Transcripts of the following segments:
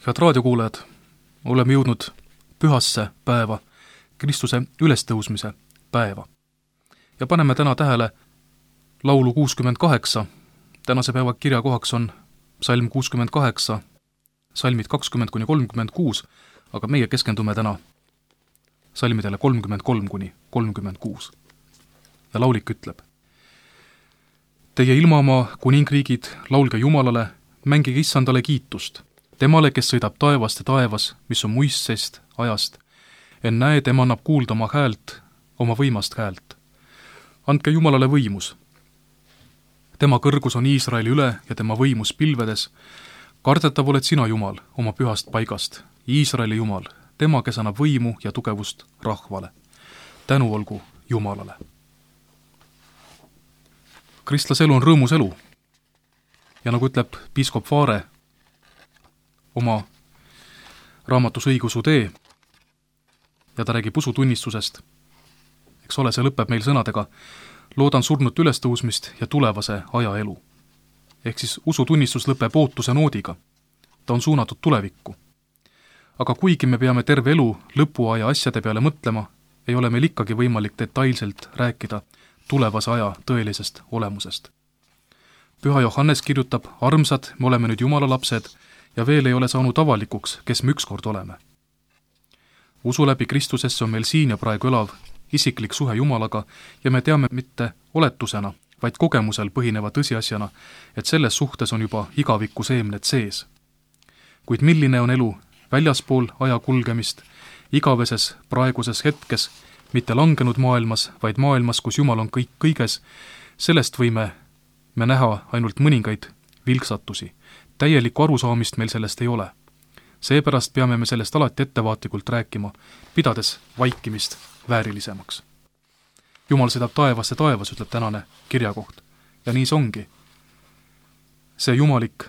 Head raadiokuulajad, oleme jõudnud pühasse päeva, Kristuse ülestõusmise päeva. Ja paneme täna tähele laulu 68. Tänase päeva kirjakohaks on salm 68, salmid 20-36, aga meie keskendume täna salmidele 33-36. Ja laulik ütleb: Teie ilmamaa kuningriigid, laulge Jumalale, mängige Issandale kiitust. Temale, kes sõidab taevast ja taevas, mis on muistsest ajast. Ennäe, tema annab kuulda oma häält, oma võimast häält. Andke Jumalale võimus. Tema kõrgus on Iisraeli üle ja tema võimus pilvedes. Kardetav oled sina, Jumal, oma pühast paigast. Iisraeli Jumal, tema, kes annab võimu ja tugevust rahvale. Tänu olgu Jumalale. Kristlase elu on rõõmus elu. Ja nagu ütleb piiskop Vaare oma raamatus Õigeusu tee, ja ta räägib usutunnistusest. Eks ole, see lõpeb meil sõnadega: loodan surnut ülestõusmist ja tulevase aja elu. Ehk siis usutunnistus lõpeb ootuse noodiga. Ta on suunatud tulevikku. Aga kuigi me peame terve elu lõpuaja asjade peale mõtlema, ei ole meil ikkagi võimalik detailselt rääkida tulevase aja tõelisest olemusest. Püha Johannes kirjutab: armsad, me oleme nüüd Jumala lapsed ja veel ei ole saanud avalikuks, kes me ükskord oleme. Usu läbi Kristusesse on meil siin ja praegu elav isiklik suhe Jumalaga ja me teame mitte oletusena, vaid kogemusel põhineva tõsiasjana, et selles suhtes on juba igaviku seemned sees. Kuid milline on elu väljaspool aja kulgemist, igaveses praeguses hetkes, mitte langenud maailmas, vaid maailmas, kus Jumal on kõik kõiges, sellest võime me näha ainult mõningaid vilksatusi. Täielikku arusaamist meil sellest ei ole. Seepärast peame me sellest alati ettevaatlikult rääkima, pidades vaikimist väärilisemaks. Jumal sõidab taevas ja taevas, ütleb tänane kirjakoht. Ja nii see ongi. See jumalik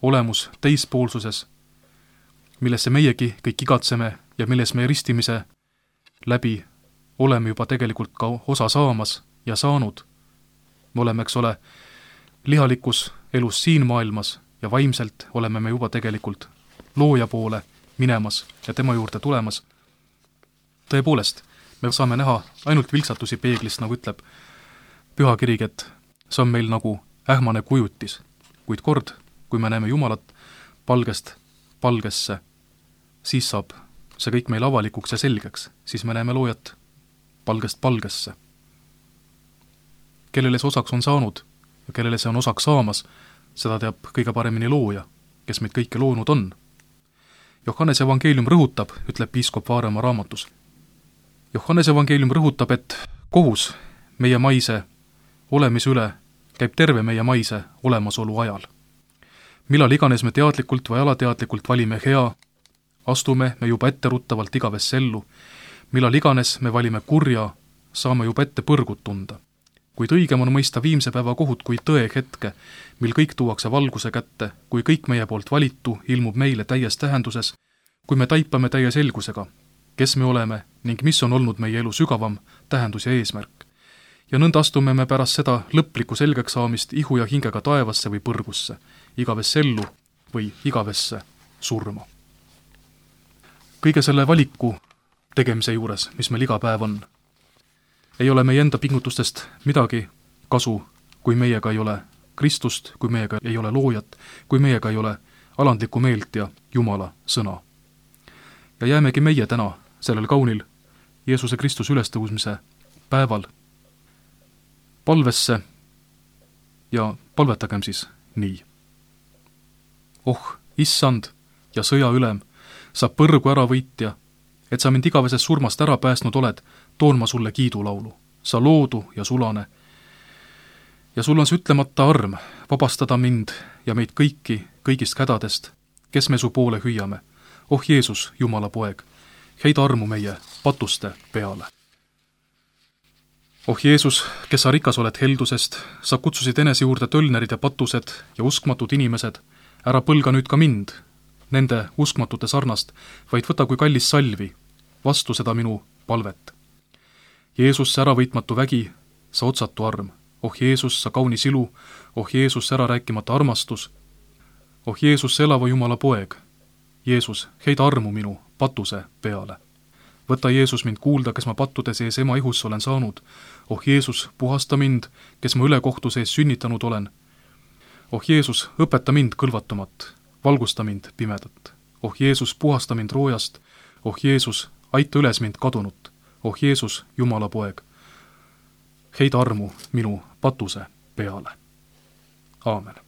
olemus teispoolsuses, millesse meiegi kõik igatseme ja milles me ristimise läbi oleme juba tegelikult ka osa saamas ja saanud. Me oleme, eks ole, lihalikus elus siin maailmas ja vaimselt oleme me juba tegelikult looja poole minemas ja tema juurde tulemas. Tõepoolest, me saame näha ainult vilksatusi peeglist, nagu ütleb pühakirig, et see on meil nagu ähmane kujutis. Kuid kord, kui me näeme Jumalat palgest palgesse, siis saab see kõik meil avalikuks ja selgeks, siis me näeme loojat palgest palgesse. Kellele see osaks on saanud ja kellele see on osaks saamas, seda teab kõige paremini looja, kes meid kõike loonud on. Johannes evangeelium rõhutab, ütleb piiskop Vaare oma raamatus. Johannes evangeelium rõhutab, et kohus meie maise olemise üle käib terve meie maise olemasolu ajal. Millal iganes me teadlikult või alateadlikult valime hea, astume me juba etteruttavalt igavesse ellu. Millal iganes me valime kurja, saame juba ette põrgut tunda. Kuid õigem on mõista viimse päeva kohut kui tõe hetke, mil kõik tuuakse valguse kätte, kui kõik meie poolt valitu ilmub meile täies tähenduses, kui me taipame täie selgusega, kes me oleme ning mis on olnud meie elu sügavam tähendus ja eesmärk. Ja nõnda astume me pärast seda lõplikku selgeks saamist ihu ja hingega taevasse või põrgusse, igavesse ellu või igavesse surma. Kõige selle valiku tegemise juures, mis meil iga päev on, ei ole meie enda pingutustest midagi kasu, kui meiega ei ole Kristust, kui meiega ei ole loojat, kui meiega ei ole alandlikku meelt ja Jumala sõna. Ja jäämegi meie täna sellel kaunil Jeesuse Kristuse ülestõusmise päeval palvesse ja palvetagem siis nii. Oh, Issand ja sõja ülem, sa põrgu ära võitja, et sa mind igaveses surmast ära päästnud oled, toon ma sulle kiidulaulu. Sa loodu ja sulane. Ja sul on see ütlemata arm vabastada mind ja meid kõiki, kõigist hädadest, kes me su poole hüüame. Oh Jeesus, Jumala poeg, heida armu meie patuste peale. Oh Jeesus, kes sa rikas oled heldusest, sa kutsusid enese juurde tölnerid ja patused ja uskmatud inimesed, ära põlga nüüd ka mind, nende uskmatute sarnast, vaid võta kui kallis salvi, vastu seda minu palvet. Jeesus, sa äravõitmatu vägi, sa otsatu arm. Oh Jeesus, sa kaunis ilu. Oh Jeesus, sa ära rääkimata armastus. Oh Jeesus, sa elava Jumala poeg. Jeesus, heida armu minu patuse peale. Võta, Jeesus, mind kuulda, kes ma pattude sees ema ihus olen saanud. Oh Jeesus, puhasta mind, kes ma ülekohtu sees sünnitanud olen. Oh Jeesus, õpeta mind kõlvatumat, valgusta mind pimedat. Oh Jeesus, puhasta mind roojast. Oh Jeesus, aita üles mind kadunut. Oh Jeesus, Jumala poeg, heida armu minu patuse peale. Aamen.